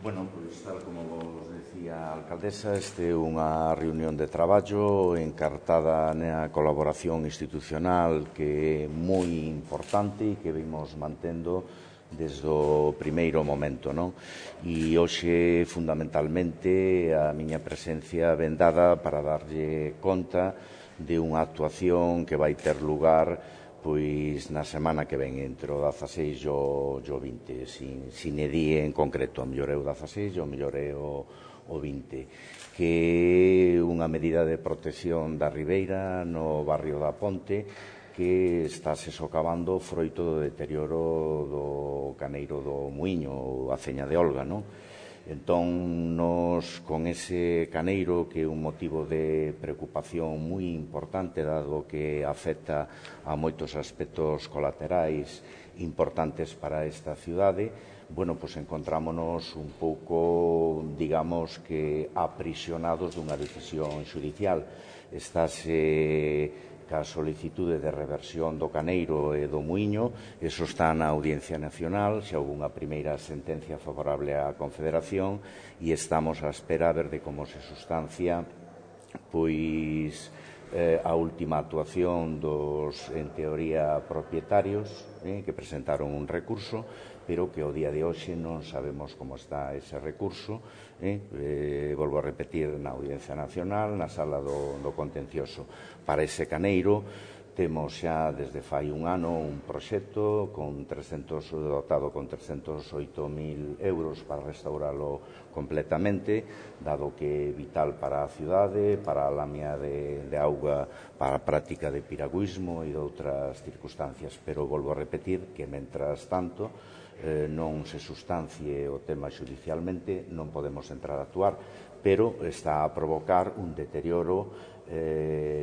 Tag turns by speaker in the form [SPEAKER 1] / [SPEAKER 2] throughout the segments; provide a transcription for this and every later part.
[SPEAKER 1] Bueno, pois tal como vos decía a alcaldesa, este é unha reunión de traballo encartada na colaboración institucional que é moi importante e que vimos mantendo desde o primeiro momento, non? E hoxe, fundamentalmente, a miña presencia ven dada para darlle conta de unha actuación que vai ter lugar pois na semana que ven, entre o 16 e o 20, sin e día en concreto, o mellor é o 16 e o mellor é o 20, que é unha medida de protección da ribeira no barrio da Ponte que está se socavando froito do deterioro do caneiro do Muiño, a Aceña de Olga, non? Entón, nos, con ese caneiro, que é un motivo de preocupación moi importante, dado que afecta a moitos aspectos colaterais importantes para esta cidade, bueno, pois encontrámonos un pouco, digamos que, aprisionados dunha decisión xudicial. Estáse a solicitude de reversión do caneiro e do muiño, eso está na Audiencia Nacional, xa houve unha primeira sentencia favorable á Confederación e estamos á espera a ver de como se sustancia pois a última actuación dos, en teoría, propietarios que presentaron un recurso, pero que ao día de hoxe non sabemos como está ese recurso. Volvo a repetir, na Audiencia Nacional, na sala do contencioso. Para ese caneiro temos xa desde fai un ano un proxecto dotado con 308.000 euros para restauralo completamente, dado que é vital para a cidade, para a lamia de auga, para a práctica de piragüismo e de outras circunstancias. Pero volvo a repetir que, mentras tanto, non se sustancie o tema xudicialmente, non podemos entrar a actuar, pero está a provocar un deterioro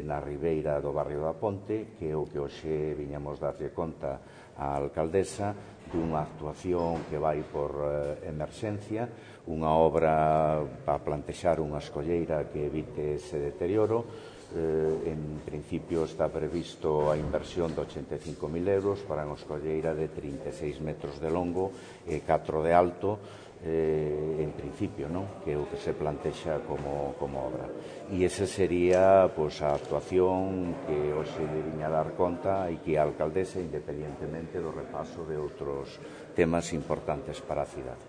[SPEAKER 1] na ribeira do barrio da Ponte, que é o que hoxe viñamos darlle conta á alcaldesa dunha actuación que vai por emerxencia, unha obra para plantexar unha escolleira que evite ese deterioro. En principio está previsto a inversión de 85.000 euros para unha escolleira de 36 metros de longo e 4 de alto, en principio, non? Que é o que se plantexa como obra. E esa sería pois, a actuación que hoxe lle viña a dar conta e que a alcaldesa, independentemente do repaso de outros temas importantes para a cidade.